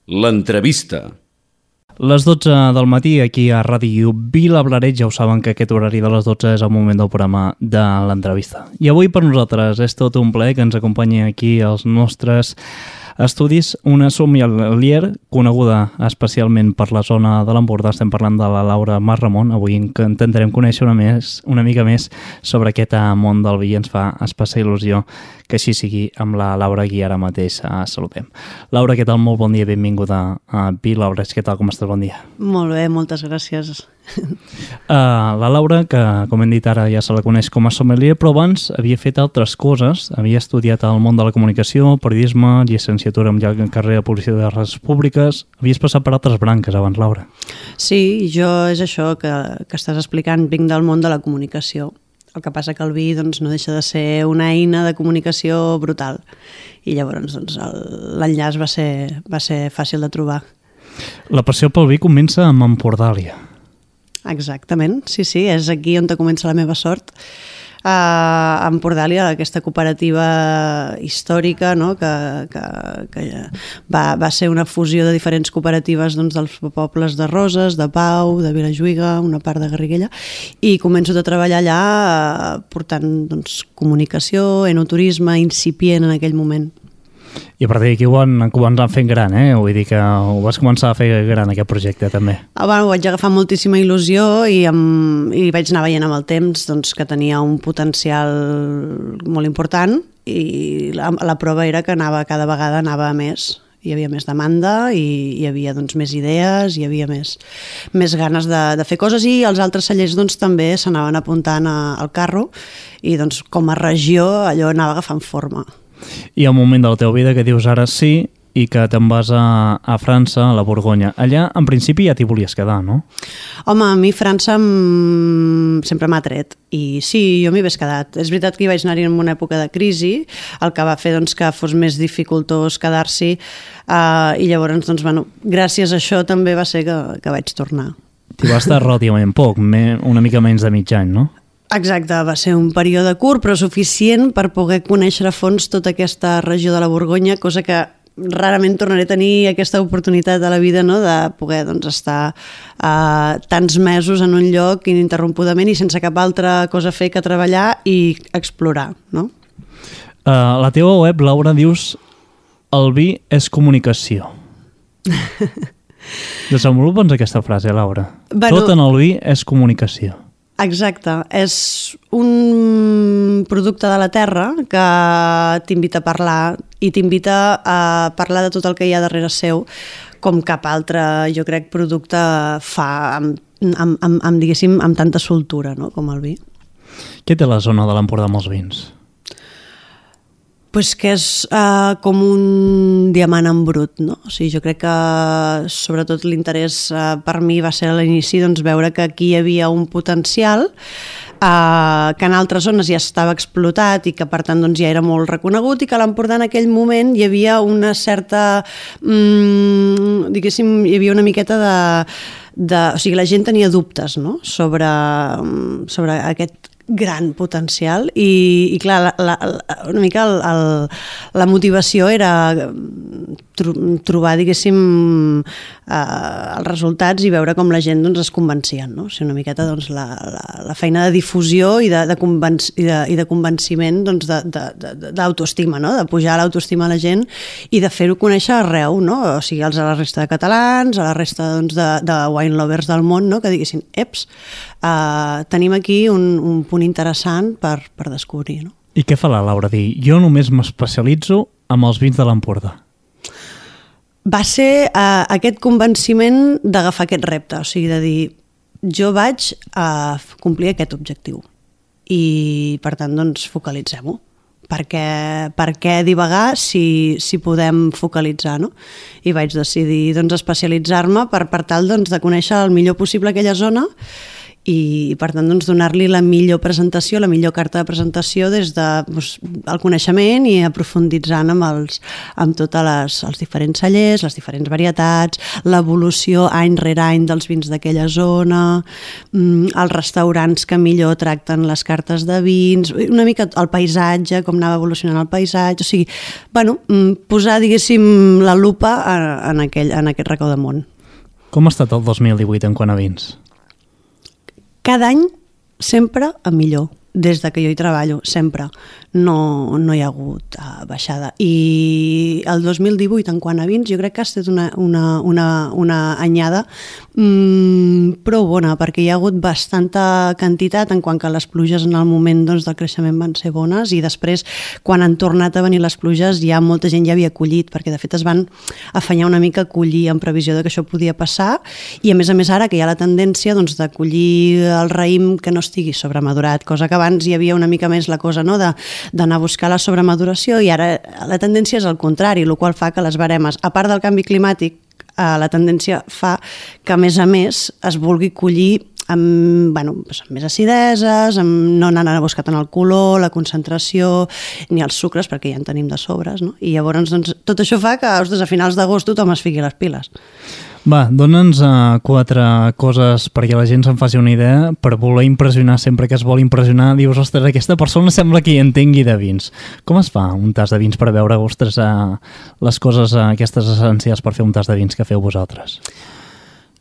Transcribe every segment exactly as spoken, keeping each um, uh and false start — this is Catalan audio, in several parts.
L'entrevista. Les dotze del matí aquí a Ràdio Vilablareix, ja ho saben que aquest horari de les dotze és el moment del programa de l'entrevista. I avui per nosaltres és tot un plaer que ens acompanyi aquí als nostres estudis una sommelier coneguda especialment per la zona de l'Empordà. Estem parlant de la Laura Mas-Ramon. Avui intentarem conèixer una, més, una mica més sobre aquest món del vi i ens fa especial il·lusió que així sigui amb la Laura qui ara mateix saludem. Laura, què tal? Molt bon dia, benvinguda a Vilablareix. Què tal? Com estàs? Bon dia. Molt bé, moltes gràcies. Uh, la Laura, que com hem dit ara ja se la coneix com a sommelier, però abans havia fet altres coses. Havia estudiat el món de la comunicació, periodisme, llicenciatura en carrera de publicitat de les públiques. Havies passat per altres branques abans, Laura. Sí, jo és això que, que estàs explicant, vinc del món de la comunicació. El que passa que el vi doncs, no deixa de ser una eina de comunicació brutal. I llavors doncs, l'enllaç va ser, va ser fàcil de trobar. La passió pel vi comença amb Empordàlia. Exactament, sí, sí, és aquí on comença la meva sort. A Empordàlia, aquesta cooperativa històrica, no? que, que, que va, va ser una fusió de diferents cooperatives doncs, dels pobles de Roses, de Pau, de Vilajuïga, una part de Garriguella, i començo a treballar allà portant doncs, comunicació, enoturisme, incipient en aquell moment. I a partir d'aquí ho van començar fent gran, eh? Vull dir que ho vas començar a fer gran, aquest projecte, també. Ah, bueno, ho vaig agafar moltíssima il·lusió i, amb, i vaig anar veient amb el temps doncs, que tenia un potencial molt important i la, la prova era que anava cada vegada anava a més. Hi havia més demanda i hi havia doncs, més idees, hi havia més, més ganes de, de fer coses i els altres cellers doncs, també s'anaven apuntant a, al carro i doncs, com a regió allò anava agafant forma. I el moment de la teva vida que dius ara sí i que te'n vas a, a França, a la Borgonya. Allà, en principi, ja t'hi volies quedar, no? Home, a mi França m... sempre m'ha tret. I sí, jo m'hi hagués quedat. És veritat que hi vaig anar-hi en una època de crisi, el que va fer doncs, que fos més dificultós quedar-s'hi, uh, i llavors, doncs, bueno, gràcies a això també va ser que, que vaig tornar. T'hi va estar relativament poc, una mica menys de mig any, no? Exacte, va ser un període curt però suficient per poder conèixer a fons tota aquesta regió de la Borgonya, cosa que rarament tornaré a tenir aquesta oportunitat a la vida, no? De poder doncs, estar uh, tants mesos en un lloc ininterrompudament i sense cap altra cosa a fer que treballar i explorar. No? Uh, la teva web, Laura, dius el vi és comunicació. Desenvolupa'ns aquesta frase, Laura. Bueno, tot en el vi és comunicació. Exacte, és un producte de la terra que t'invita a parlar i t'invita a parlar de tot el que hi ha darrere seu, com cap altre, jo crec, producte fa amb, amb, amb, amb, diguéssim, amb tanta soltura, no?, com el vi. Què té la zona de l'Empordà amb els vins? Pues que és uh, com un diamant en brut, no? O sigui, jo crec que sobretot l'interès uh, per mi va ser a l'inici doncs, veure que aquí hi havia un potencial uh, que en altres zones ja estava explotat i que per tant doncs, ja era molt reconegut i que a l'Empordà en aquell moment hi havia una certa, mm, diguéssim, hi havia una miqueta de, de... O sigui, la gent tenia dubtes, no?, sobre, sobre aquest gran potencial i, i clar, la, la, una mica el, el, la motivació era tro, trobar, diguéssim, eh, els resultats i veure com la gent doncs, es convencien, no? O sigui, una miqueta doncs, la, la, la feina de difusió i de, de, convenc, i de, i de convenciment doncs, d'autoestima, no? De pujar l'autoestima a la gent i de fer-ho conèixer arreu, no? O sigui, als a la resta de catalans, a la resta doncs, de, de wine lovers del món, no? Que diguessin, eps, Uh, tenim aquí un, un punt interessant per, per descobrir. No? I què fa la Laura? Dir, jo només m'especialitzo amb els vins de l'Empordà. Va ser uh, aquest convenciment d'agafar aquest repte, o sigui, de dir, jo vaig a uh, complir aquest objectiu i, per tant, doncs, focalitzem-ho. Per què, per què divagar si, si podem focalitzar, no? I vaig decidir doncs, especialitzar-me per, per tal doncs, de conèixer el millor possible aquella zona i per tant doncs, donar-li la millor presentació, la millor carta de presentació des del de, doncs, el coneixement i aprofunditzant amb, els, amb tots els diferents cellers, les diferents varietats, l'evolució any rere any dels vins d'aquella zona, els restaurants que millor tracten les cartes de vins, una mica el paisatge, com anava evolucionant el paisatge, o sigui, bueno, posar, diguéssim, la lupa en, aquell, en aquest racó de món. Com ha estat el dos mil divuit en quant a vins? Cada any sempre a millor, des de que jo hi treballo, sempre. No, no hi ha hagut uh, baixada. I el dos mil divuit, en quant a vins, jo crec que ha estat una, una, una, una anyada mmm, prou bona, perquè hi ha hagut bastanta quantitat en quant que les pluges en el moment doncs, del creixement van ser bones, i després, quan han tornat a venir les pluges, ja molta gent ja havia collit, perquè de fet es van afanyar una mica a collir en previsió de que això podia passar, i a més a més ara que hi ha la tendència doncs, de collir el raïm que no estigui sobremadurat, cosa que abans hi havia una mica més la cosa, no?, de d'anar a buscar la sobremaduració, i ara la tendència és al contrari, el qual fa que les baremes, a part del canvi climàtic, eh, la tendència fa que a més a més es vulgui collir amb, bueno, doncs amb més acideses, amb no anant a buscar tant el color, la concentració, ni els sucres, perquè ja en tenim de sobres, no? I llavors doncs, tot això fa que ostres, a finals d'agost tothom es fiqui les piles. Va, dona'ns uh, quatre coses perquè la gent se'n faci una idea, per voler impressionar sempre que es vol impressionar. Dius, ostres, aquesta persona sembla que hi entengui de vins. Com es fa un tas de vins per veure, ostres, uh, les coses uh, aquestes essencials per fer un tas de vins que feu vosaltres?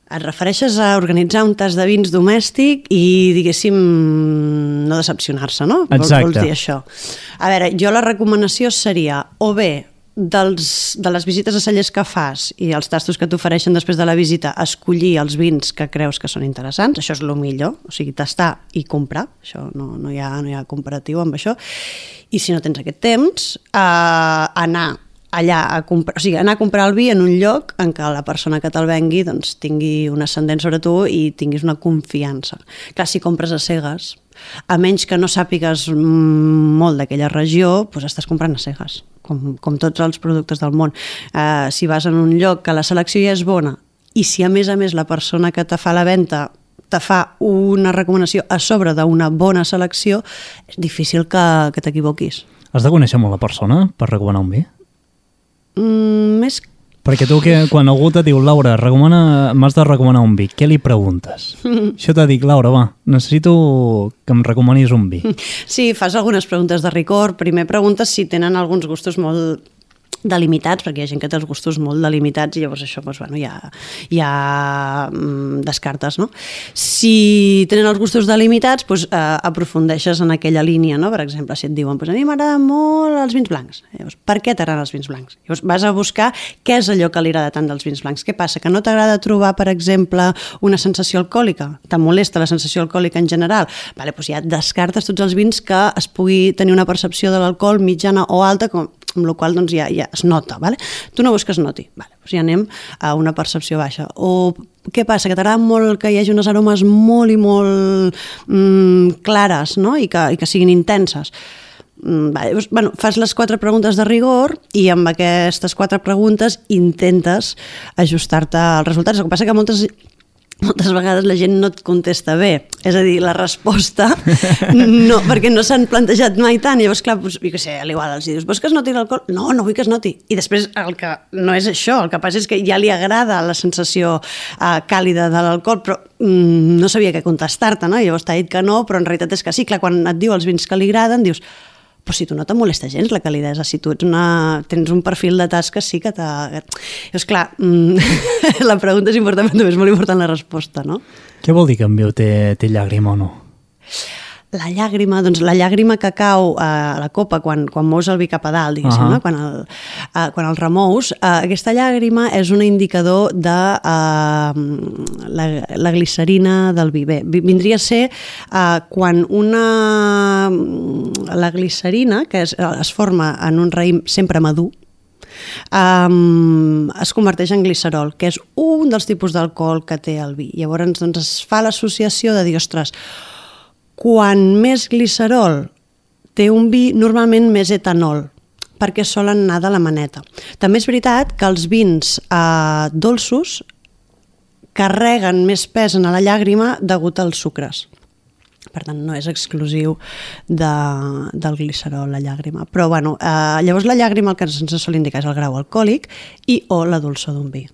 Et refereixes a organitzar un tas de vins domèstic i, diguéssim, no decepcionar-se, no? Exacte. Vols dir això. A veure, jo la recomanació seria o bé dels, de les visites a cellers que fas i els tastos que t'ofereixen després de la visita, escollir els vins que creus que són interessants, això és el millor, o sigui, tastar i comprar, això no, no, hi ha, no hi ha comparatiu amb això, i si no tens aquest temps, eh, anar allà a comprar, o sigui, anar a comprar el vi en un lloc en què la persona que te'l vengui doncs, tingui un ascendent sobre tu i tinguis una confiança. Clar, si compres a cegues, a menys que no sàpigues molt d'aquella regió, doncs estàs comprant a cegues, com, com tots els productes del món. Uh, si vas en un lloc que la selecció ja és bona i si a més a més la persona que te fa la venda te fa una recomanació a sobre d'una bona selecció, és difícil que, que t'equivoquis. Has de conèixer molt la persona per recomanar un vi? Mm, més... Perquè tu, que, quan algú te diu, Laura, recomana, m'has de recomanar un vi, què li preguntes? Això t'ha dit, Laura, va, necessito que em recomanis un vi. Sí, fas algunes preguntes de rigor. Primer preguntes si tenen alguns gustos molt delimitats, perquè hi ha gent que té els gustos molt delimitats i llavors això doncs, bueno, ja, ja mm, descartes, no? Si tenen els gustos delimitats, doncs, eh, aprofundeixes en aquella línia, no? Per exemple, si et diuen, pues, a mi m'agraden molt els vins blancs. Llavors, per què t'agraden els vins blancs? Llavors, vas a buscar què és allò que li agrada tant dels vins blancs. Què passa? Que no t'agrada trobar, per exemple, una sensació alcohòlica? Te molesta la sensació alcohòlica en general? Vale, doncs ja descartes tots els vins que es pugui tenir una percepció de l'alcohol mitjana o alta, com amb la qual cosa doncs, ja, ja es nota. Vale? Tu no vols que es noti, vale, doncs ja anem a una percepció baixa. O què passa? Que t'agrada molt que hi hagi unes aromes molt i molt mm, clares, no? I, que, i que siguin intenses. Mm, vale, doncs, bueno, fas les quatre preguntes de rigor i amb aquestes quatre preguntes intentes ajustar-te als resultats. El que passa que moltes... moltes vegades la gent no et contesta bé, és a dir, la resposta no, perquè no s'han plantejat mai tant, i llavors clar, doncs, jo què sé, a l'igual els dius, vols que es noti l'alcohol? No, no vull que es noti, i després el que no és això, el que passa és que ja li agrada la sensació uh, càlida de l'alcohol, però mm, no sabia què contestar-te, no? I llavors t'ha dit que no, però en realitat és que sí, clar, quan et diu els vins que li agraden, dius, però si tu no te molesta gens la calidesa, si tu ets una, tens un perfil de tasca, sí que t'ha... Llavors, clar, la pregunta és important, però també és molt important la resposta, no? Què vol dir que en viu té, té llàgrima o no? La llàgrima, doncs la llàgrima que cau a la copa quan, quan mous el vi cap a dalt, diguéssim, uh-huh. no? quan, el, uh, quan el remous, uh, aquesta llàgrima és un indicador de uh, la, la glicerina del vi. Bé, vindria a ser uh, quan una... la glicerina, que es, es forma en un raïm sempre madur, Um, es converteix en glicerol, que és un dels tipus d'alcohol que té el vi. Llavors doncs, es fa l'associació de dir, ostres, quan més glicerol té un vi, normalment més etanol, perquè solen anar de la maneta. També és veritat que els vins eh, dolços carreguen més pes en la llàgrima degut als sucres. Per tant, no és exclusiu de, del glicerol, la llàgrima. Però, bueno, eh, llavors la llàgrima el que ens sol indicar és el grau alcohòlic i o la dolçor d'un vi.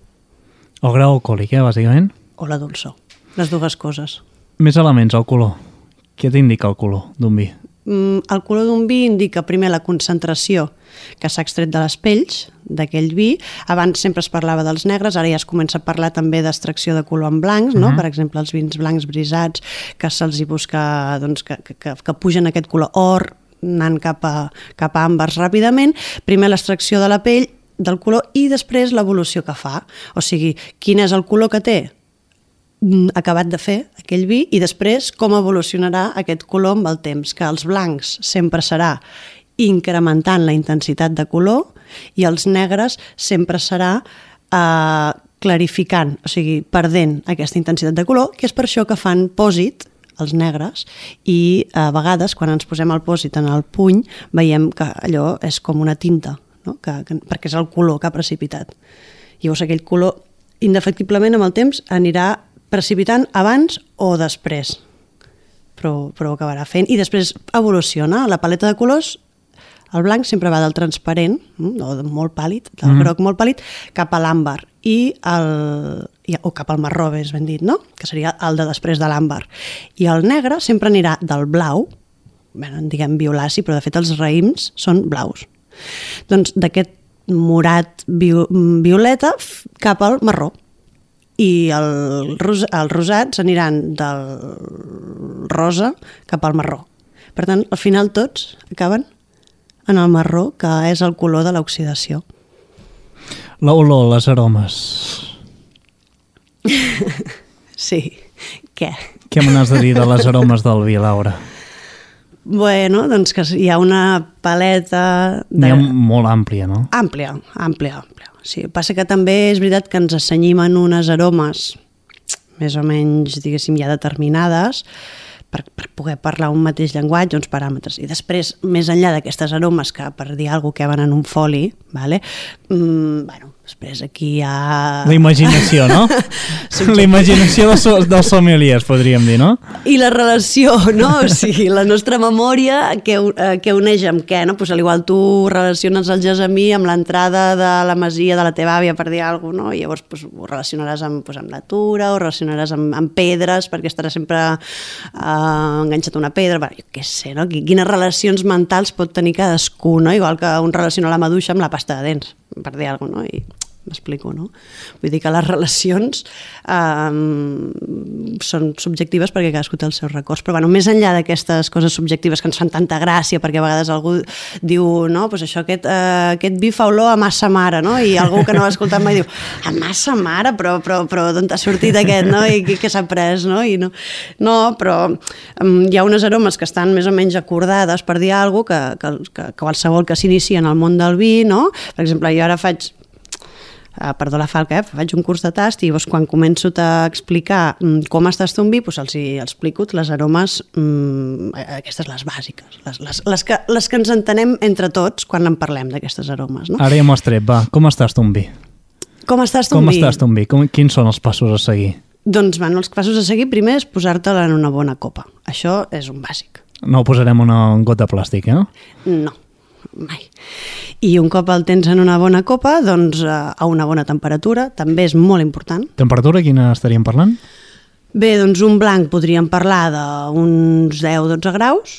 El grau alcohòlic, eh, bàsicament? O la dolçor, les dues coses. Més elements, el color. Què t'indica el color d'un vi? Mm, el color d'un vi indica primer la concentració que s'ha extret de les pells d'aquell vi. Abans sempre es parlava dels negres, ara ja es comença a parlar també d'extracció de color en blancs, no? Uh-huh. Per exemple, els vins blancs brisats, que se'ls hi busca, doncs, que, que, que pugen aquest color or, anant cap a, cap a àmbars ràpidament. Primer l'extracció de la pell, del color, i després l'evolució que fa. O sigui, quin és el color que té acabat de fer aquell vi i després com evolucionarà aquest color amb el temps, que els blancs sempre serà incrementant la intensitat de color i els negres sempre serà eh, clarificant, o sigui, perdent aquesta intensitat de color, que és per això que fan pòsit els negres i a vegades quan ens posem el pòsit en el puny veiem que allò és com una tinta, no? que, que, perquè és el color que ha precipitat. Llavors aquell color indefectiblement amb el temps anirà precipitant abans o després, però, però ho acabarà fent. I després evoluciona. La paleta de colors, el blanc sempre va del transparent, o molt pàl·lid, del mm. groc molt pàl·lid, cap a l'àmbar, i el, o cap al marró, més ben dit, no? Que seria el de després de l'àmbar. I el negre sempre anirà del blau, bé, en diguem violaci, però de fet els raïms són blaus. Doncs d'aquest morat violeta cap al marró. I el, ros, els rosats aniran del rosa cap al marró. Per tant, al final tots acaben en el marró, que és el color de l'oxidació. L'olor, les aromes. Sí, què? Què me n'has de dir de les aromes del vi, Laura? Bueno, doncs que hi ha una paleta... De... N'hi ha molt àmplia, no? Àmplia, àmplia, àmplia. Sí, passa que també és veritat que ens assenyim en unes aromes més o menys, diguéssim, ja determinades per, per poder parlar un mateix llenguatge, uns paràmetres. I després, més enllà d'aquestes aromes que, per dir alguna cosa, que van en un foli, vale? mm, bueno, després aquí hi ha... La imaginació, no? La imaginació dels, dels sommeliers, podríem dir, no? I la relació, no? O sigui, la nostra memòria, que, que uneix amb què, no? Pues, al igual tu relaciones el gessamí amb l'entrada de la masia de la teva àvia, per dir alguna cosa, no? I llavors pues, ho relacionaràs amb, pues, amb la tura, o relacionaràs amb, amb pedres, perquè estaràs sempre eh, enganxat a una pedra, bueno, jo què sé, no? Quines relacions mentals pot tenir cadascú, no? Igual que un relaciona la maduixa amb la pasta de dents, per dir alguna cosa, no? I m'explico, no? Vull dir que les relacions eh, són subjectives perquè cadascú té els seus records, però bueno, més enllà d'aquestes coses subjectives que ens fan tanta gràcia, perquè a vegades algú diu, no, pues això, aquest, eh, aquest vi fa olor a massa mare, no? I algú que no l'ha escoltat mai diu, a massa mare, però, però, però d'on t'ha sortit aquest, no? I què s'ha pres, no? I no, no, però um, hi ha unes aromes que estan més o menys acordades, per dir alguna cosa, que, que, que qualsevol que s'inicia en el món del vi, no? Per exemple, jo ara faig Uh, perdó la falca, eh? Faig un curs de tast i doncs, quan començo a explicar um, com es tasta un vi, doncs els hi explico les aromes, um, aquestes les bàsiques, les, les, les, que, les que ens entenem entre tots quan en parlem d'aquestes aromes. No? Ara ja m'ho has tret, va, com es tasta un vi? Com es tasta un com vi? Com es tasta un vi? Com, quins són els passos a seguir? Doncs bueno, els passos a seguir primer és posar-te'l en una bona copa. Això és un bàsic. No posarem una, un got de plàstic, eh? No. Mai. I un cop el tens en una bona copa, doncs a una bona temperatura, també és molt important. Temperatura, quina estaríem parlant? Bé, doncs un blanc podríem parlar d'uns deu a dotze graus,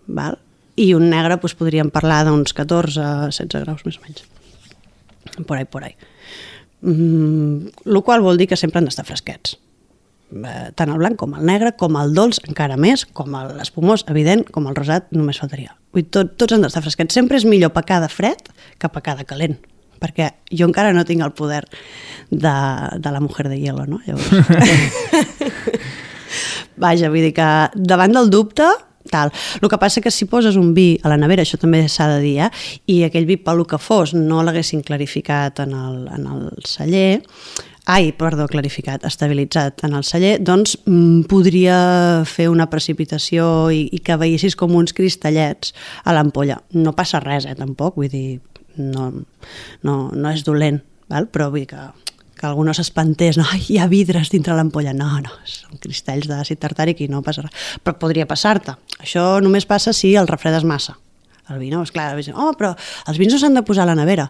val? I un negre doncs, podríem parlar d'uns catorze a setze graus més o menys. Por ahí, por ahí. Mm, lo qual vol dir que sempre han d'estar fresquets. Tant el blanc com el negre, com el dolç, encara més, com l'espumós, evident, com el rosat, només faltaria. Vull, tot, tots han d'estar fresquets. Sempre és millor pecar de fred que pecar de calent, perquè jo encara no tinc el poder de, de la mujer de hielo, no? Llavors... Vaja, vull dir que davant del dubte, tal. El que passa que si poses un vi a la nevera, això també s'ha de dir, eh? I aquell vi, pel que fos, no l'haguessin clarificat en el, en el celler, ai, perdó, clarificat, estabilitzat en el celler, doncs mm, podria fer una precipitació i, i que veiessis com uns cristallets a l'ampolla. No passa res, eh, tampoc, vull dir, no, no, no és dolent, val? Però vull dir que, que algú no s'espantés, no? Ai, hi ha vidres dintre l'ampolla. No, no, són cristalls d'àcid tartàric i no passa res. Però podria passar-te. Això només passa si el refredes massa. El vi, no? És clar, oh, però els vins no s'han de posar a la nevera.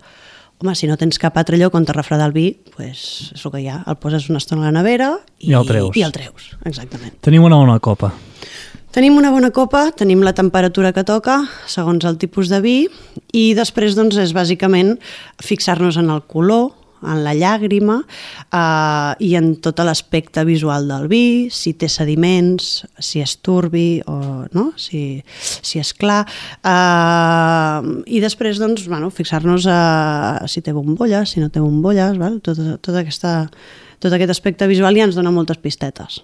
Home, si no tens cap altre lloc on te refredar el vi, pues és el que hi ha. El poses una estona a la nevera i, I el treus. I el treus, exactament. Tenim una bona copa. Tenim una bona copa, tenim la temperatura que toca, segons el tipus de vi, i després doncs, és bàsicament fixar-nos en el color, en la llàgrima eh, i en tot l'aspecte visual del vi, si té sediments, si és turbi o no? si, si és clar. Eh, I després doncs, bueno, fixar-nos a si té bombolles, si no té bombolles, val? Tot, tot, aquesta, tot aquest aspecte visual ja ens dona moltes pistetes.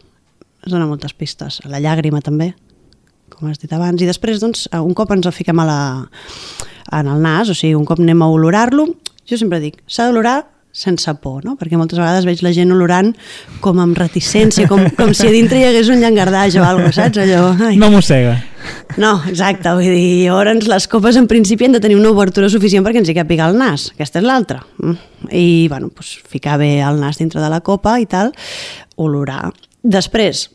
Es dona moltes pistes. La llàgrima també, com has dit abans. I després, doncs, un cop ens el fiquem a la, en el nas, o sigui, un cop anem a olorar-lo, jo sempre dic, s'ha d'olorar sense por, no? Perquè moltes vegades veig la gent olorant com amb reticència, com, com si a dintre hi hagués un llangardaix o alguna cosa, saps? Allò, ai. No mossega. No, exacte, vull dir, llavors les copes en principi han de tenir una obertura suficient perquè ens hi càpiga el nas, aquesta és l'altra. I, bueno, doncs, ficar bé el nas dintre de la copa i tal, olorar. Després,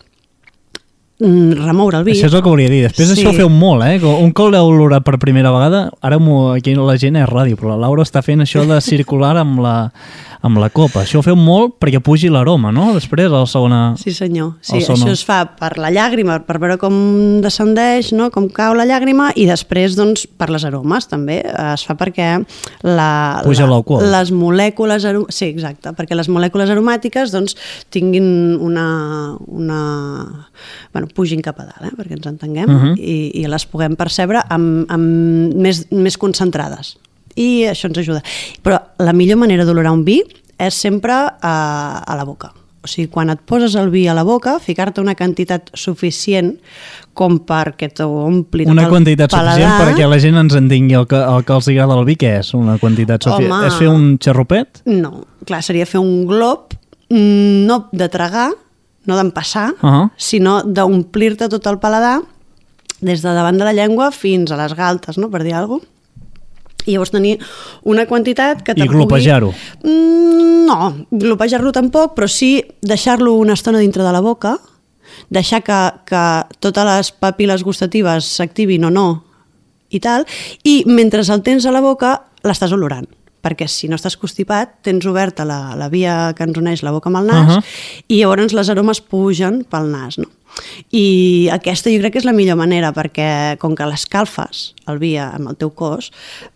remoure el vi. Això és el que volia dir. Després sí. Això ho feu molt, eh? Un cop l'heu olorat per primera vegada, ara aquí la gent és ràdio, però la Laura està fent això de circular amb la, amb la copa. Això ho feu molt perquè pugi l'aroma, no? Després, a la segona... Sí, senyor. Sí, això es fa per la llàgrima, per veure com descendeix, no? Com cau la llàgrima, i després, doncs, per les aromes, també. Es fa perquè la, puja l'alcohol. Les molècules... Arom... Sí, exacte, perquè les molècules aromàtiques, doncs, tinguin una... una... Bueno, pugin cap a dalt, eh? Perquè ens entenguem, uh -huh. i, i les puguem percebre amb, amb més, més concentrades. I això ens ajuda. Però la millor manera d'olorar un vi és sempre a, a la boca. O sigui, quan et poses el vi a la boca, ficar-te una quantitat suficient com perquè t'ompli una quantitat suficient perquè la gent ens entengui el que, el que els agrada el vi, què és una quantitat suficient? Home, és fer un xarrupet? No, clar, seria fer un glob, no de tragar, no d'empassar, uh -huh. sinó d'omplir-te tot el paladar des de davant de la llengua fins a les galtes, no? Per dir alguna cosa. I llavors tenir una quantitat que te I glopejar-ho? Pugui... Mm, no, glopejar-lo tampoc, però sí deixar-lo una estona dintre de la boca, deixar que, que totes les papil·les gustatives s'activin o no i tal, i mentre el tens a la boca l'estàs olorant, perquè si no estàs constipat tens oberta la, la via que ens uneix la boca amb el nas, uh -huh. i llavors les aromes pugen pel nas, no? I aquesta jo crec que és la millor manera, perquè com que l'escalfes el vi amb el teu cos,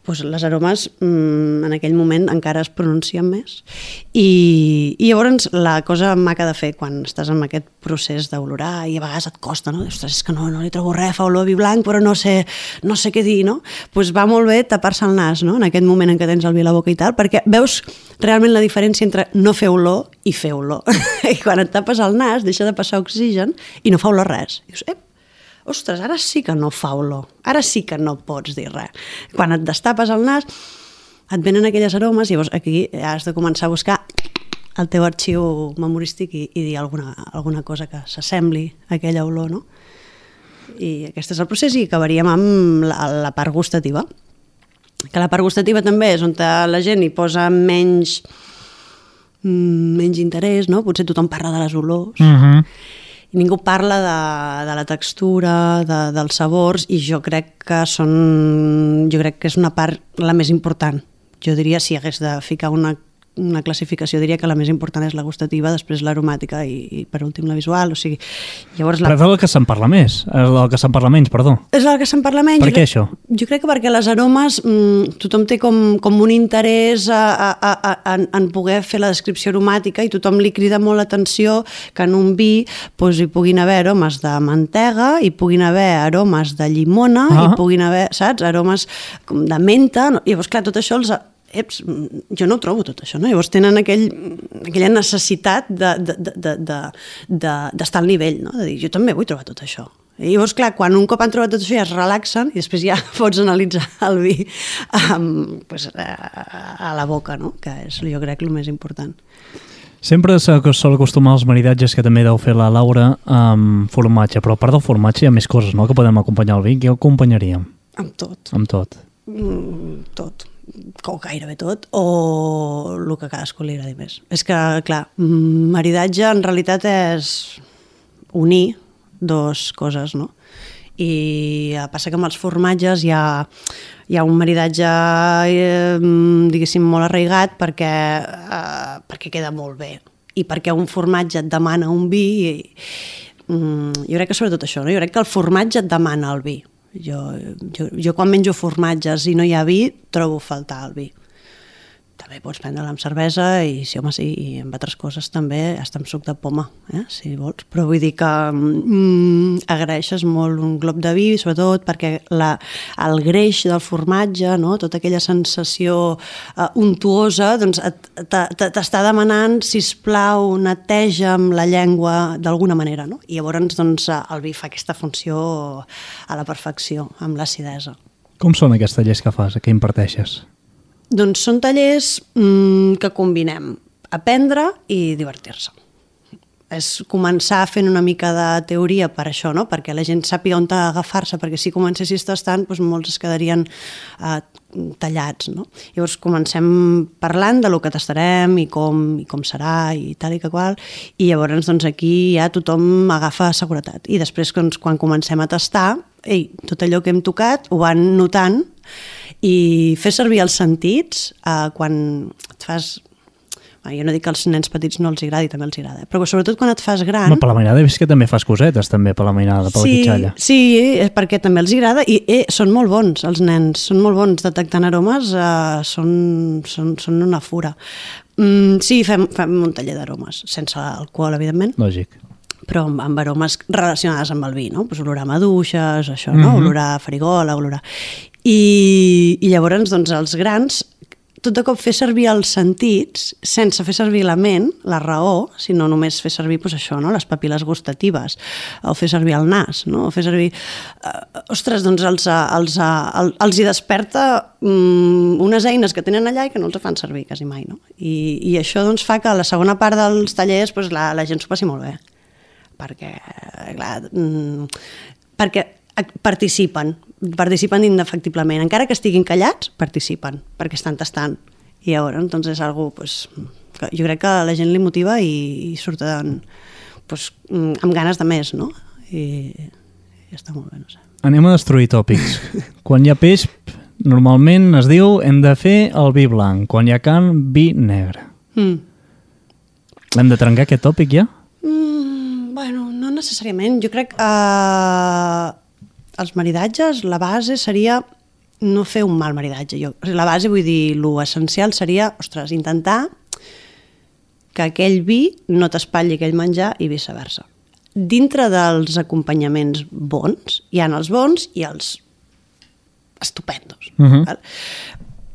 doncs les aromes mmm, en aquell moment encara es pronuncien més. I, i llavors la cosa maca de fer quan estàs en aquest procés d'olorar i a vegades et costa, no? Ostres, és que no, no li trobo res, fa olor a vi blanc, però no sé, no sé què dir, no? Doncs va molt bé tapar-se el nas, no? En aquest moment en què tens el vi a la boca i tal, perquè veus realment la diferència entre no fer olor i fer olor. I quan et tapes el nas deixa de passar oxigen i no fa olor res. I dius, ep, ostres, ara sí que no fa olor, ara sí que no pots dir res. Quan et destapes el nas, et venen aquelles aromes i llavors aquí has de començar a buscar el teu arxiu memorístic i, i dir alguna, alguna cosa que s'assembli a aquella olor, no? I aquest és el procés i acabaríem amb la, la part gustativa. Que la part gustativa també és on la gent hi posa menys, menys interès, no? Potser tothom parla de les olors, uh-huh. i ningú parla de, de la textura, de, dels sabors, i jo crec que són, jo crec que és una part la més important. Jo diria, si hagués de ficar una, una classificació, diria que la més important és la gustativa, després l'aromàtica i, i per últim la visual, o sigui... Llavors la... Però és del que se'n parla més, és del que se'n parla menys, perdó. És del que se'n parla menys. Per què crec, això? Jo crec que perquè les aromes, mmm, tothom té com, com un interès a, a, a, a, en poder fer la descripció aromàtica i tothom li crida molt l'atenció que en un vi doncs, hi puguin haver aromes de mantega, hi puguin haver aromes de llimona, ah. hi puguin haver, saps, aromes de menta, no? I llavors, clar, tot això els... Eps, jo no ho trobo tot això, no? Llavors tenen aquell, aquella necessitat de, de, de, de, de, d'estar al nivell, no? De dir, jo també vull trobar tot això. I llavors, clar, quan un cop han trobat tot això ja es relaxen i després ja pots analitzar el vi um, pues, a, a la boca, no? Que és, jo crec, el més important. Sempre sol acostumar als maridatges que també deu fer la Laura amb formatge, però a part del formatge hi ha més coses, no?, que podem acompanyar el vi. Què acompanyaríem? Amb tot. Amb tot. Mm, tot. o gairebé tot, o el que a cadascú li agradi més. És que, clar, maridatge en realitat és unir dos coses, no? I passa que amb els formatges hi ha, hi ha un maridatge, eh, diguéssim, molt arraigat perquè, eh, perquè queda molt bé i perquè un formatge et demana un vi i, mm, jo crec que sobretot això, no? Jo crec que el formatge et demana el vi. Jo, jo, jo quan menjo formatges i no hi ha vi, trobo faltar el vi. També pots prendre-la amb cervesa i, sí, home, sí, i amb altres coses també, hasta amb suc de poma, eh, si vols. Però vull dir que mm, agraeixes molt un glob de vi, sobretot perquè la, el greix del formatge, no? Tota aquella sensació uh, untuosa, doncs t'està demanant, sisplau, neteja'm la llengua d'alguna manera, no? I llavors doncs, el vi fa aquesta funció a la perfecció, amb l'acidesa. Com són aquests tallers que fas, que imparteixes? Doncs són tallers mmm, que combinem aprendre i divertir-se. És començar fent una mica de teoria per això, no? Perquè la gent sàpiga on agafar-se, perquè si comencessis tastant, doncs molts es quedarien eh, tallats, no? Llavors comencem parlant de lo que tastarem i com, i com serà i tal i que qual, i llavors doncs, aquí ja tothom agafa seguretat. I després doncs, quan comencem a tastar, ei, tot allò que hem tocat ho van notant i fer servir els sentits eh, quan et fas... Jo no dic que als nens petits no els agradi, també els agrada, però sobretot quan et fas gran... No, per la mainada he vist que també fas cosetes, també, per la mainada, per sí, la quitxalla. Sí, perquè també els agrada i eh, són molt bons, els nens, són molt bons detectant aromes, eh, són, són, són una fura. Mm, sí, fem, fem un taller d'aromes, sense alcohol, evidentment. Lògic. Però amb, amb aromes relacionades amb el vi, no? Pues olorar maduixes, això, no? Mm-hmm. Olorar farigola, olorar... I, i llavors, doncs, els grans, tot de cop fer servir els sentits, sense fer servir la ment, la raó, sinó només fer servir, pues, això, no? Les papil·les gustatives, o fer servir el nas, no? O fer servir... Uh, ostres, doncs els, els, els, els hi desperta um, unes eines que tenen allà i que no els fan servir quasi mai, no? I, i això doncs, fa que a la segona part dels tallers pues, la, la gent s'ho passi molt bé. Perquè, clar, um, perquè participen, participen indefectiblement. Encara que estiguin callats, participen, perquè estan tastant. I llavors, doncs, és algo, pues, que jo crec que la gent li motiva i, i surten pues, amb ganes de més, no? I, i està molt bé, no sé. Anem a destruir tòpics. Quan hi ha peix, normalment es diu hem de fer el vi blanc. Quan hi ha carn, vi negre. Mm. Hem de trencar aquest tòpic ja? Mm, bueno, no necessàriament. Jo crec que eh, els maridatges, la base seria no fer un mal maridatge. Jo, la base, vull dir, l'essencial seria, ostres, intentar que aquell vi no t'espatlli aquell menjar i viceversa. Dintre dels acompanyaments bons, hi ha els bons i els estupendos. Uh-huh. Val?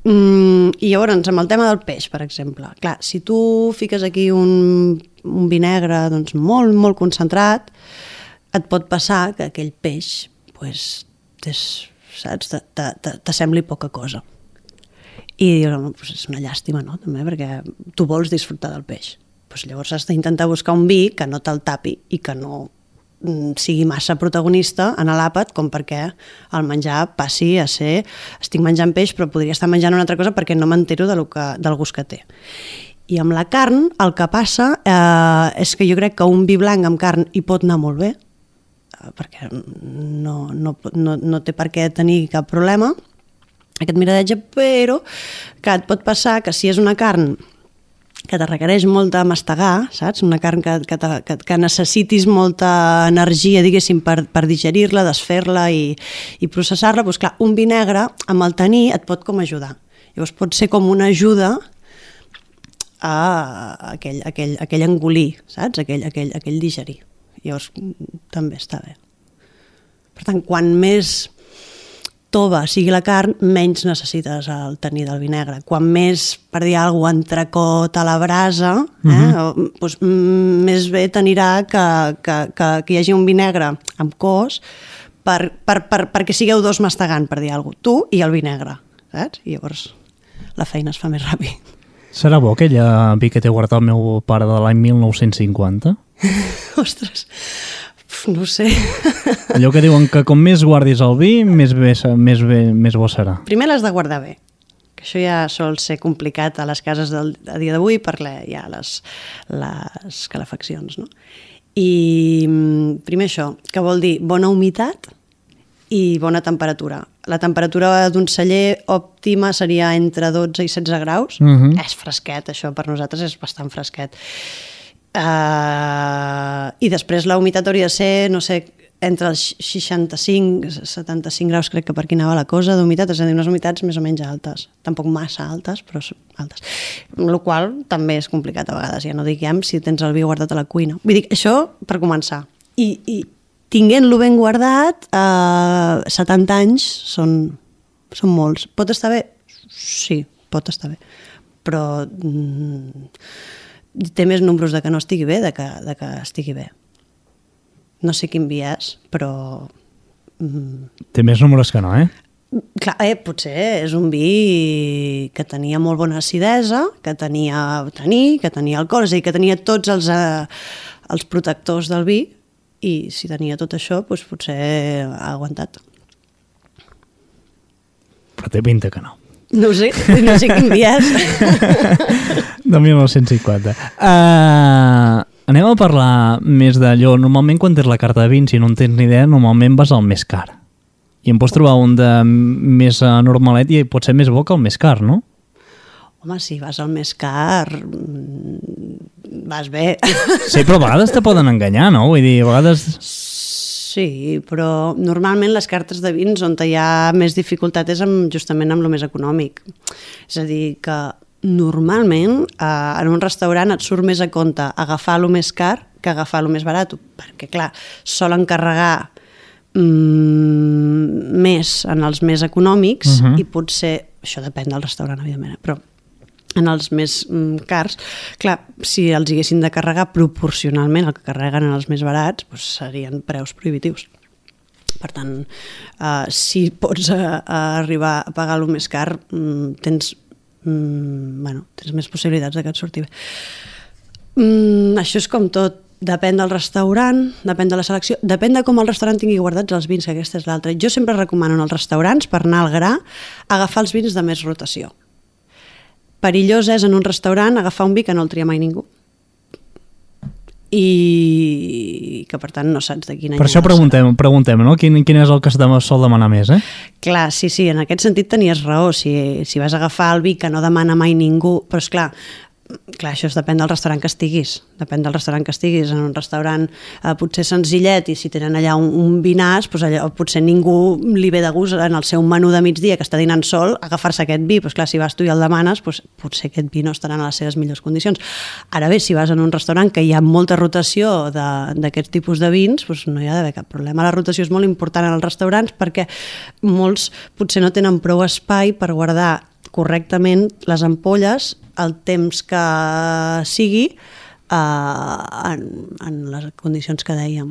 Mm, I llavors, amb el tema del peix, per exemple, clar, si tu fiques aquí un, un vi negre doncs, molt, molt concentrat, et pot passar que aquell peix pues, és, saps, t'assembli poca cosa. I dius, home, pues és una llàstima, no? També, perquè tu vols disfrutar del peix. Pues llavors has d'intentar buscar un vi que no te'l tapi i que no sigui massa protagonista en l'àpat com perquè el menjar passi a ser estic menjant peix però podria estar menjant una altra cosa perquè no m'entero de lo que, del gust que té. I amb la carn el que passa eh, és que jo crec que un vi blanc amb carn hi pot anar molt bé eh, perquè no, no, no, no té per què tenir cap problema aquest miradatge, però que et pot passar que si és una carn que te requereix molt de mastegar, saps? Una carn que, que, que, que necessitis molta energia, diguéssim, per, per digerir-la, desfer-la i, i processar-la, doncs clar, un vi negre, amb el tenir, et pot com ajudar. Llavors pot ser com una ajuda a aquell, aquell, aquell engolir, saps? Aquell, aquell, aquell digerir. Llavors també està bé. Per tant, quan més tova sigui la carn, menys necessites el tenir del vi negre. Quan més, per dir alguna cosa, entrecot a la brasa, eh, uh-huh. doncs, més bé t'anirà que, que, que, que hi hagi un vi negre amb cos per, per, per, perquè sigueu dos mastegant, per dir alguna cosa. Tu i el vi negre, saps? I llavors la feina es fa més ràpid. Serà bo aquell vi que té guardat el meu pare de l'any mil nou-cents cinquanta? Ostres... No sé. Allò que diuen que com més guardis el vi, més bé, més bé, més bo serà. Primer l'has de guardar bé, que que això ja sol ser complicat a les cases del, a dia d'avui per la, ja les, les calefaccions, no? I primer això, que vol dir bona humitat i bona temperatura. La temperatura d'un celler òptima seria entre dotze i setze graus. Uh-huh. És fresquet, això per nosaltres és bastant fresquet. Uh, I després la humitat hauria de ser, no sé, entre els seixanta-cinc i setanta-cinc graus, crec que per aquí anava la cosa d'humitat, és a dir, unes humitats més o menys altes. Tampoc massa altes, però altes. El qual també és complicat a vegades, ja no diguem si tens el vi guardat a la cuina. Vull dir, això per començar. I, i tinguent-lo ben guardat, eh, setanta anys són, són molts. Pot estar bé? Sí, pot estar bé. Però mm, té més números de que no estigui bé de que, de que estigui bé. No sé quin vi és, però... Mm, té més números que no, eh? Clar, eh, potser és un vi que tenia molt bona acidesa, que tenia taní, que tenia alcohol, és a dir, que tenia tots els, eh, els protectors del vi, i si tenia tot això, doncs potser ha aguantat. Però té pinta que no. No ho sé, no sé quin vi és. De mil nou-cents cinquanta. Uh, anem a parlar més d'allò. Normalment quan tens la carta de vins, si no en tens ni idea, normalment vas al més car. I em pots trobar un de més normalet i pot ser més bo que el més car, no? Home, si vas al més car, vas bé. Sí, però a vegades te poden enganyar, no? Vull dir, a vegades... Sí, però normalment les cartes de vins on hi ha més dificultat és amb, justament amb el més econòmic. És a dir, que normalment eh, en un restaurant et surt més a compte agafar el més car que agafar el més barat, perquè, clar, solen carregar mm, més en els més econòmics uh-huh. i potser, això depèn del restaurant, evidentment, però en els més mm, cars, clar, si els haguessin de carregar proporcionalment el que carreguen en els més barats, doncs serien preus prohibitius. Per tant, eh, si pots eh, arribar a pagar el més car, mm, tens, mm, bueno, tens més possibilitats de que et surti bé. Mm, això és com tot. Depèn del restaurant, depèn de la selecció, depèn de com el restaurant tingui guardats els vins, que aquesta és l'altra. Jo sempre recomano als restaurants, per anar al gra, agafar els vins de més rotació. Perillós és en un restaurant agafar un vi que no el tria mai ningú i que per tant no saps de quin any. Per això preguntem, preguntem no? Quin, quin és el que es sol demanar més, eh? Clar, sí, sí, en aquest sentit tenies raó, si, si vas a agafar el vi que no demana mai ningú, però esclar, clar, això es depèn del restaurant que estiguis, depèn del restaurant que estiguis, en un restaurant eh, potser senzillet i si tenen allà un, un vinàs, doncs allà, potser ningú li ve de gust en el seu menú de migdia que està dinant sol agafar-se aquest vi, doncs clar, si vas tu i el demanes, doncs potser aquest vi no estarà en les seves millors condicions. Ara bé, si vas en un restaurant que hi ha molta rotació d'aquest tipus de vins, doncs no hi ha d'haver cap problema. La rotació és molt important en els restaurants perquè molts potser no tenen prou espai per guardar correctament les ampolles el temps que sigui eh, en, en les condicions que dèiem.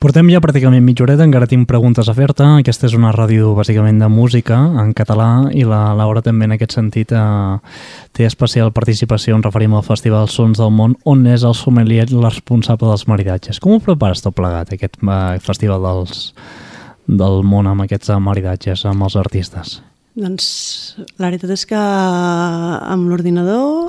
Portem ja pràcticament mitja horeta, encara tinc preguntes a fer-te. Aquesta és una ràdio bàsicament de música en català i la Laura també en aquest sentit eh, té especial participació, en referim al Festival Sons del Món, on és el sommelier responsable dels maridatges. Com ho prepares tot plegat, aquest eh, festival dels, del món amb aquests maridatges, amb els artistes? Doncs la veritat és que amb l'ordinador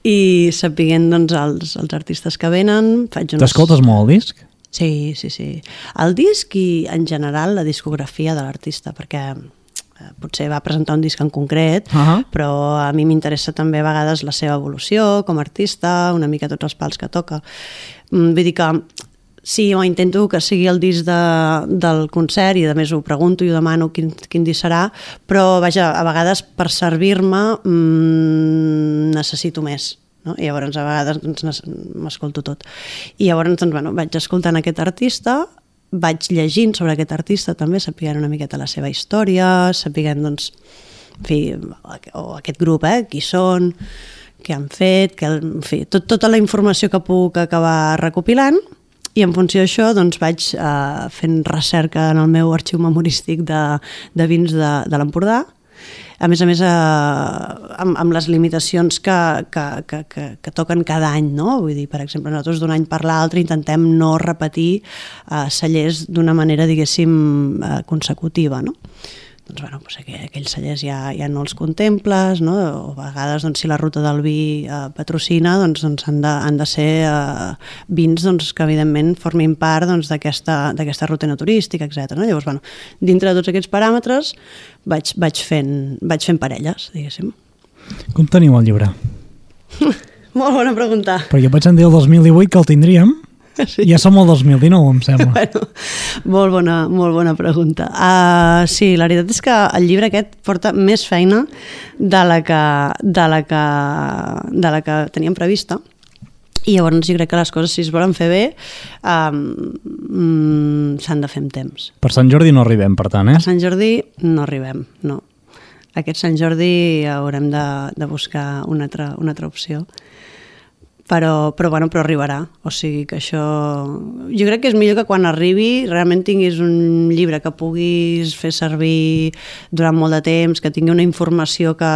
i sapiguent doncs, els, els artistes que venen faig uns... T'escoltes molt el disc? Sí, sí, sí. El disc i en general la discografia de l'artista, perquè eh, potser va presentar un disc en concret, uh-huh. però a mi m'interessa també a vegades la seva evolució com a artista, una mica tots els pals que toca. Vull dir que sí, jo intento que sigui el disc de, del concert i a més ho pregunto i ho demano quin, quin disc serà, però vaja, a vegades per servir-me mmm, necessito més, no? I llavors a vegades doncs, m'escolto tot. I llavors doncs, bueno, vaig escoltant aquest artista, vaig llegint sobre aquest artista també, sapiguent una miqueta la seva història, sapiguent doncs, en fi, o aquest grup, eh, qui són, què han fet, que, en fi, tot, tota la informació que puc acabar recopilant. I en funció d'això doncs, vaig eh, fent recerca en el meu arxiu memorístic de, de vins de, de l'Empordà. A més a més, eh, amb, amb les limitacions que, que, que, que, que toquen cada any, no? Vull dir, per exemple, nosaltres d'un any per l'altre intentem no repetir eh, cellers d'una manera, diguéssim, eh, consecutiva, no? doncs, bueno, doncs aqu aquells cellers ja, ja no els contemples, no? O a vegades doncs, si la ruta del vi eh, patrocina, doncs, doncs han, de, han de ser eh, vins doncs, que evidentment formin part doncs, d'aquesta doncs, ruta turística, etcètera. No? Llavors, bueno, dintre de tots aquests paràmetres vaig, vaig, fent, vaig fent parelles, diguéssim. Com teniu el llibre? Molt bona pregunta. Perquè vaig sentir el dos mil divuit que el tindríem, sí. Ja som el dos mil dinou, em sembla. Bueno, molt bona, molt bona pregunta. Uh, sí, la veritat és que el llibre aquest porta més feina de la que, de la que, de la que teníem prevista. I llavors jo crec que les coses, si es volen fer bé, um, mm, s'han de fer amb temps. Per Sant Jordi no arribem, per tant, eh? Per Sant Jordi no arribem, no. Aquest Sant Jordi haurem de, de buscar una altra, una altra opció. Però, però, bueno, però arribarà. O sigui que això... Jo crec que és millor que quan arribi realment tinguis un llibre que puguis fer servir durant molt de temps, que tingui una informació que,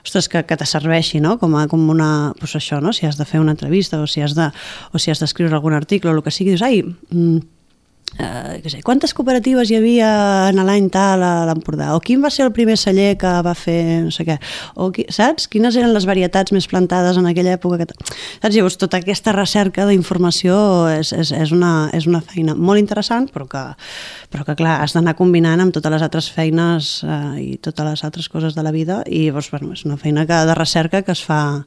ostres, que, que te serveixi, no? Com, a, com una... Pues això, no? Si has de fer una entrevista o si has de, o si has d'escriure algun article o el que sigui, dius, ai... Mm, Uh, què sé, quantes cooperatives hi havia en l'any tal a l'Empordà, o quin va ser el primer celler que va fer no sé què, o qui, saps? Quines eren les varietats més plantades en aquella època que... saps? Llavors tota aquesta recerca d'informació és, és, és, una, és una feina molt interessant, però que, però que clar, has d'anar combinant amb totes les altres feines uh, i totes les altres coses de la vida, i llavors bueno, és una feina que, de recerca que es fa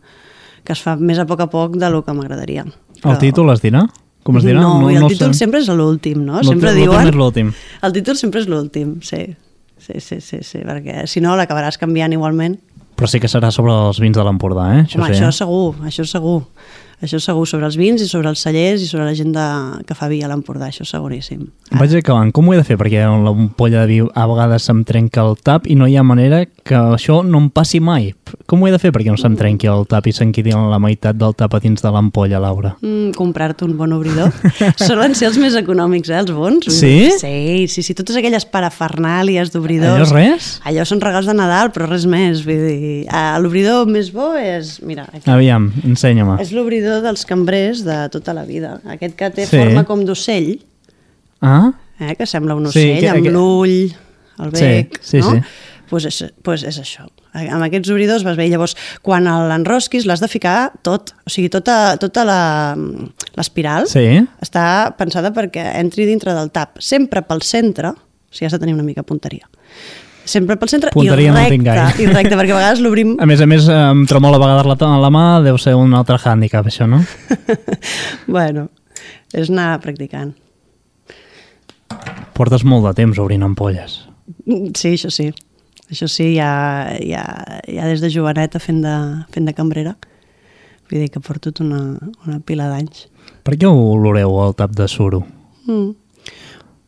que es fa més a poc a poc de lo que m'agradaria. Però... El títol es dirà? Com es dirà? No, no, i el no títol sé. sempre és l'últim, no? L sempre diuen... és l'últim. El títol sempre és l'últim, sí. Sí, sí, sí, sí, perquè si no l'acabaràs canviant igualment. Però sí que serà sobre els vins de l'Empordà, eh? Això Home, sí, això eh? segur, això segur. Això segur, sobre els vins i sobre els cellers i sobre la gent de, que fa vi a l'Empordà, això seguríssim. Ara. Vaig acabant. Com ho he de fer? Perquè l'ampolla de vi a vegades se'm trenca el tap i no hi ha manera que això no em passi mai. Com ho he de fer perquè no se'm trenqui el tap i se'n quedi la meitat del tap a dins de l'ampolla, Laura? Mm, comprar-te un bon obridor. Solen ser els més econòmics, eh, els bons. Sí? Sí, sí, sí. Totes aquelles parafernàlies d'obridors. Allò és res? Allò són regals de Nadal, però res més. Vull dir, l'obridor més bo és... Mira, aquí. Aviam, ensenya-me. És l'obridor dels cambrers de tota la vida. Aquest que té sí. forma com d'ocell, ah? eh, que sembla un ocell, sí, que, amb que... l'ull, el bec, sí, sí, no? Sí. Pues és, pues és això. Amb aquests obridors vas bé. Llavors, quan l'enrosquis l'has de ficar tot. O sigui, tota, tota l'espiral sí. està pensada perquè entri dintre del tap. Sempre pel centre, o sigui, has de tenir una mica punteria. Sempre pel centre punteria i recte, no i recte, perquè a vegades l'obrim... A més a més, em tremola a vegades la, la mà, deu ser un altre hàndicap, això, no? Bueno, és anar practicant. Portes molt de temps obrint ampolles. Sí, això sí. Això sí, ja, ja, ja des de joveneta fent de, fent de cambrera. Vull dir que porto tot una, una pila d'anys. Per què oloreu el tap de suro? Mm.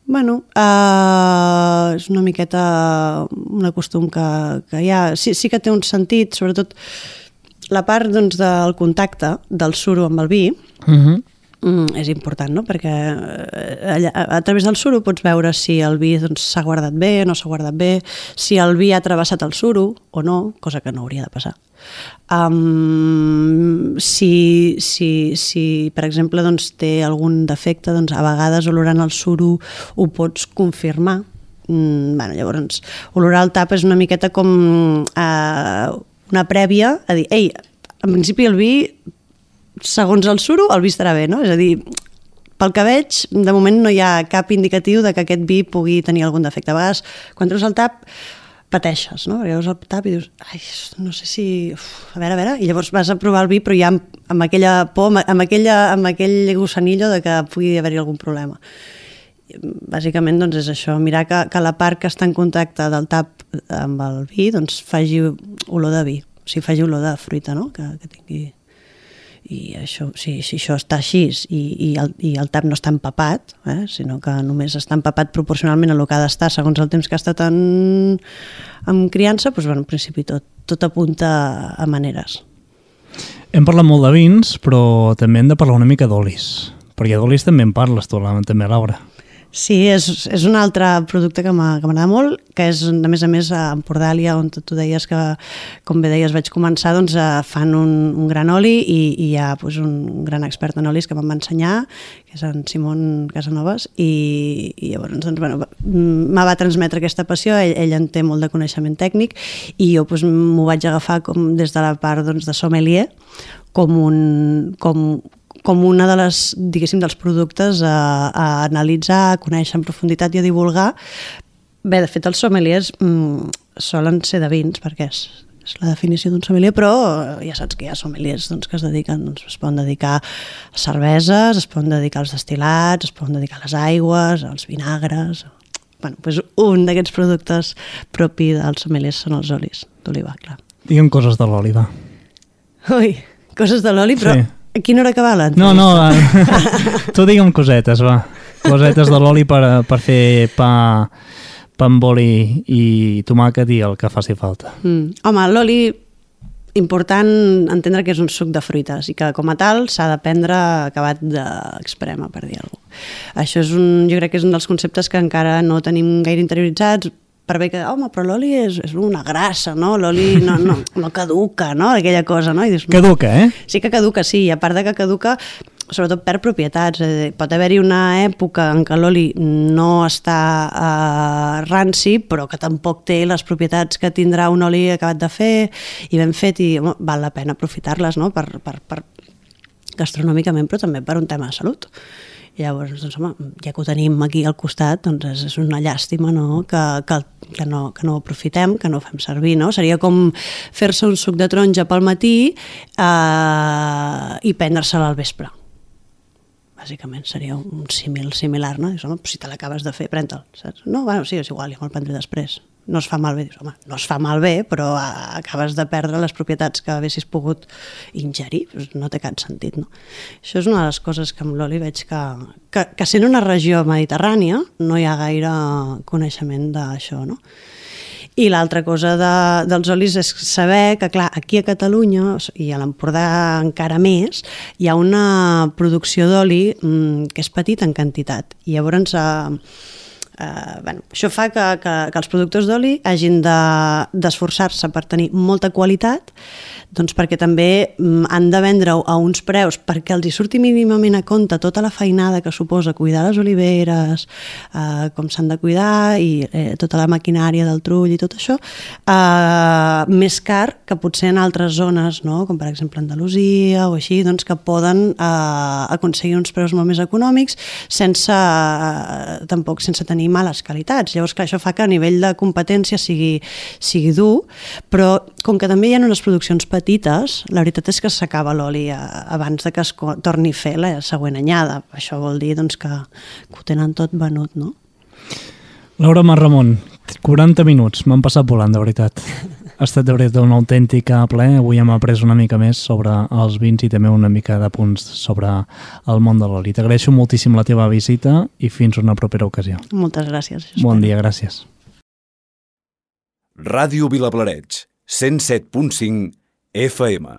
Bueno, uh, és una miqueta un costum que, que hi ha. Sí, sí que té un sentit, sobretot la part doncs, del contacte del suro amb el vi, uh-huh. mm, és important, no? Perquè a, a, a través del suro pots veure si el vi s'ha doncs, guardat bé o no s'ha guardat bé, si el vi ha travessat el suro o no, cosa que no hauria de passar. Um, si, si, si, per exemple, doncs, té algun defecte, doncs, a vegades olorant el suro ho pots confirmar. Mm, bueno, llavors, olorar el tap és una miqueta com uh, una prèvia a dir, ei, en principi el vi, segons el suro, el vi estarà bé, no? És a dir, pel que veig, de moment no hi ha cap indicatiu de que aquest vi pugui tenir algun defecte. A vegades, quan treus el tap, pateixes, no? Perquè veus el tap i dius, ai, no sé si... Uf, a veure, a veure, i llavors vas a provar el vi, però ja amb, amb aquella por, amb, aquella, amb aquell gossanillo de que pugui haver-hi algun problema. Bàsicament, doncs, és això, mirar que, que la part que està en contacte del tap amb el vi, doncs, faci olor de vi, o sigui, faci olor de fruita, no? Que, que tingui... I això, si, si això està així i, i, el, i el tap no està empapat, eh, sinó que només està empapat proporcionalment a el que ha d'estar segons el temps que ha estat en, en criança, doncs, bueno, en principi tot, tot apunta a maneres. Hem parlat molt de vins, però també hem de parlar una mica d'olis, perquè d'olis també en parles tu, també, Laura. Sí, és, és un altre producte que m'agrada molt, que és, a més a més, a Empordalia, on tu deies que, com bé deies, vaig començar, doncs fan un, un gran oli i, i hi ha doncs, un gran expert en olis que me'n va ensenyar, que és en Simón Casanovas, i, i llavors doncs, bueno, me va transmetre aquesta passió, ell, ell en té molt de coneixement tècnic, i jo doncs, m'ho vaig agafar com, des de la part doncs, de sommelier, com un... Com, com una de les, diguéssim, dels productes a, a analitzar, a conèixer en profunditat i a divulgar. Bé, de fet, els sommeliers mmm, solen ser de vins, perquè és, és la definició d'un sommelier, però ja saps que hi ha sommeliers doncs, que es dediquen, doncs, es poden dedicar a cerveses, es poden dedicar als destil·lats, es poden dedicar a les aigües, als vinagres... Bueno, doncs un d'aquests productes propi dels sommeliers són els olis d'oliva, clar. Digue'm coses de l'oli, va. Ui, coses de l'oli, però... Sí. A quina hora acaba l'entrevista? No, no, tu digue'm cosetes, va. Cosetes de l'oli per, per fer pa, pa amb oli i tomàquet i el que faci falta. Mm. Home, l'oli, important entendre que és un suc de fruites i que com a tal s'ha de prendre acabat d'exprema, per dir alguna cosa. Això és un, jo crec que és un dels conceptes que encara no tenim gaire interioritzats, per bé que, home, però l'oli és, és una grassa, no? L'oli no, no, no caduca, no? Aquella cosa, no? I dius, no. Caduca, eh? Sí que caduca, sí, i a part de que caduca, sobretot perd propietats. Eh, pot haver-hi una època en què l'oli no està eh, ranci, però que tampoc té les propietats que tindrà un oli acabat de fer i ben fet, i home, val la pena aprofitar-les, no? Per, per, per gastronòmicament, però també per un tema de salut. I llavors, doncs, home, ja que ho tenim aquí al costat, doncs és una llàstima, no? Que, que, que, no, que no ho aprofitem, que no ho fem servir, no? Seria com fer-se un suc de taronja pel matí eh, i prendre-se'l al vespre. Bàsicament seria un símil similar, no? Dius, home, si te l'acabes de fer, pren-te'l, saps? No, bueno, sí, és igual, ja me'l prendré després. No es fa malbé, dius, home, no es fa malbé, però acabes de perdre les propietats que haguessis pogut ingerir, no té cap sentit, no? Això és una de les coses que amb l'oli veig que, que, que sent una regió mediterrània no hi ha gaire coneixement d'això, no? I l'altra cosa de, dels olis és saber que, clar, aquí a Catalunya, i a l'Empordà encara més, hi ha una producció d'oli mmm, que és petita en quantitat. I llavors... Eh, Uh, bueno, això fa que, que, que els productors d'oli hagin d'esforçar-se de, per tenir molta qualitat, doncs perquè també mm, han de vendre-ho a uns preus perquè els hi surti mínimament a compte tota la feinada que suposa cuidar les oliveres, uh, com s'han de cuidar i eh, tota la maquinària del trull i tot això, uh, més car que potser en altres zones, no? Com per exemple Andalusia o així, doncs que poden uh, aconseguir uns preus molt més econòmics sense, uh, tampoc sense tenir males qualitats. Llavors, clar, això fa que a nivell de competència sigui, sigui dur, però com que també hi ha unes produccions petites, la veritat és que s'acaba l'oli abans de que es torni a fer la següent anyada. Això vol dir doncs, que, que ho tenen tot venut, no? Laura Marramon, quaranta minuts, m'han passat volant, de veritat. Ha estat de veritat un autèntic plaer. Avui hem après una mica més sobre els vins i també una mica de punts sobre el món de l'oli. T'agraeixo moltíssim la teva visita i fins una propera ocasió. Moltes gràcies. Bon dia, gràcies. Ràdio Vilablareix, cent set punt cinc F M.